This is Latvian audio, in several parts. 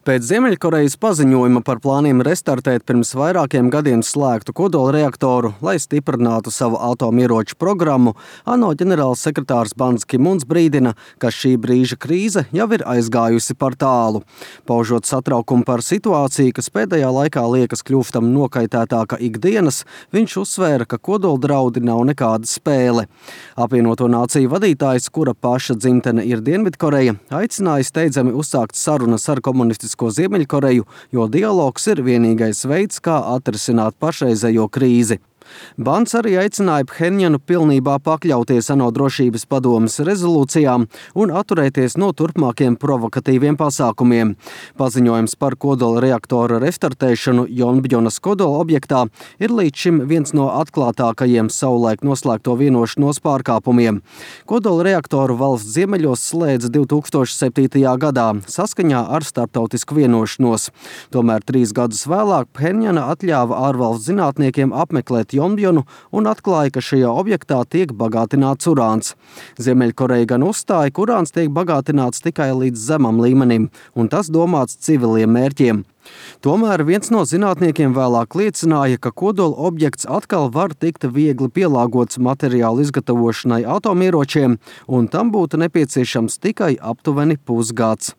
Pēc Ziemeļkorejas paziņojuma par plāniem restartēt pirms vairākiem gadiem slēgtu kodolreaktoru, lai stiprinātu savu atomieroču programmu, ANO ģenerāls sekretārs Bans Ki-muns brīdina, ka šī brīža krīze jau ir aizgājusi par tālu. Paužot satraukumu par situāciju, kas pēdējā laikā liekas kļūstam nokaitētāka ikdienas, viņš uzsvēra, ka kodoldraudi nav nekāda spēle. Apvienoto nāciju vadītājs, kura paša dzimtene ir Dienvidkoreja, aicināja steidzami uzsākt sarunas ar komunistisko Ziemeļkoreju, jo dialogs ir vienīgais veids, kā atrisināt pašreizējo krīzi. Bans arī aicināja Phenjanu pilnībā pakļauties ANO drošības padomes rezolūcijām un atturēties no turpmākiem provokatīviem pasākumiem. Paziņojums par kodola reaktora restartēšanu Jonbjonas kodola objektā ir līdz šim viens no atklātākajiem savulaik noslēgto vienošanos pārkāpumiem. Kodola reaktoru valsts ziemeļos slēdza 2007. gadā saskaņā ar starptautisku vienošanos. Tomēr 3 gadus vēlāk Phenjana atļāva ārvalstu zinātniekiem apmeklēt Jonbjonu un atklāja, ka šajā objektā tiek bagātināts urāns. Ziemeļkoreja gan uzstāja, ka urāns tiek bagātināts tikai līdz zemam līmenim, un tas domāts civiliem mērķiem. Tomēr viens no zinātniekiem vēlāk liecināja, ka kodola objekts atkal var tikt viegli pielāgots materiālu izgatavošanai atomieročiem, un tam būtu nepieciešams tikai aptuveni pusgads.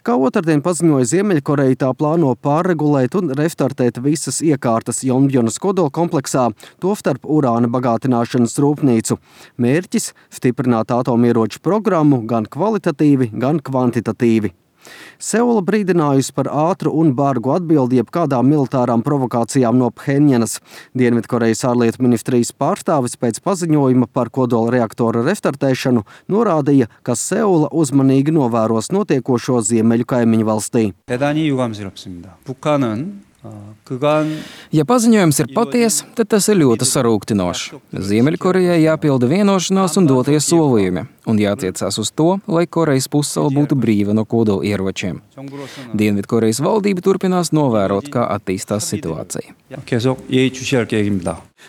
Kā otrdien paziņoja Ziemeļkoreja, tā plāno pārregulēt un restartēt visas iekārtas Jonbjonas kodola kompleksā, tostarp urāna bagātināšanas rūpnīcu. Mērķis – stiprināt atomieroču programmu gan kvalitatīvi, gan kvantitatīvi. Seula brīdinājusi par ātru un bargu atbildi jebkādām militārām provokācijām no Phenjanas. Dienvidkorejas ārlietu ministrijas pārstāvis pēc paziņojuma par kodola reaktora restartēšanu norādīja, ka Seula uzmanīgi novēros notiekošo ziemeļu kaimiņu valstī. 대단히 유감스럽습니다. 북한은 Ja paziņojums ir patiesa, tad tas ir ļoti sarūktinošs. Ziemeļkorejai jāpilda vienošanās un doties solījumi, un jātiecās uz to, lai Korejas pussala būtu brīva no kodola ieročiem. Dienvidkorejas valdība turpinās novērot, kā attīstās situācija.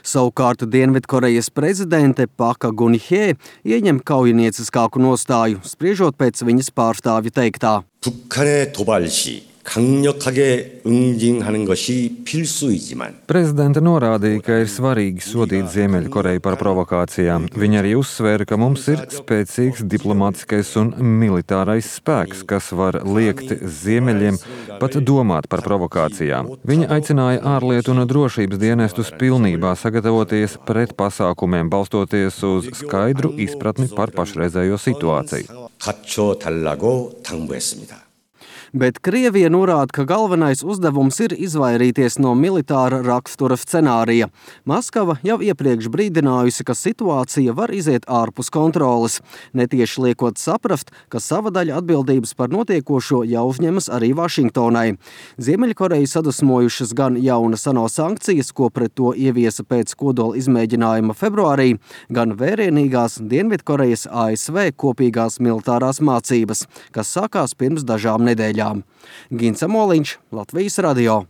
Savukārt Dienvidkorejas prezidente Paka Gun-hye ieņem kaujinieciskāku nostāju, spriežot pēc viņas pārstāvju teiktā. 북한의 도발 시 강력하게 응징하는 것이 필수이지만 Prezidente norādīja, ka ir svarīgi sodīt Ziemeļkoreju par provokācijām. Viņa arī uzsvēra, ka mums ir spēcīgs diplomātiskais un militārais spēks, kas var liekt Ziemeļiem pat domāt par provokācijām. Viņa aicināja ārlietu un drošības dienestus pilnībā sagatavoties pret pasākumiem, balstoties uz skaidru izpratni par pašreizējo situāciju. 갖춰달라고 당부했습니다. Bet Krievija norāda, ka galvenais uzdevums ir izvairīties no militāra rakstura scenārija. Maskava jau iepriekš brīdinājusi, ka situācija var iziet ārpus kontroles, netieši liekot saprast, ka sava daļa atbildības par notiekošo jau uzņemas arī Vašingtonai. Ziemeļkoreju sadusmojušas gan jaunas ANO sankcijas, ko pret to ieviesa pēc kodola izmēģinājuma februārī, gan vērienīgās Dienvidkorejas ASV kopīgās militārās mācības, kas sākās pirms dažām nedēļām. Gins Amoliņš, Latvijas radio.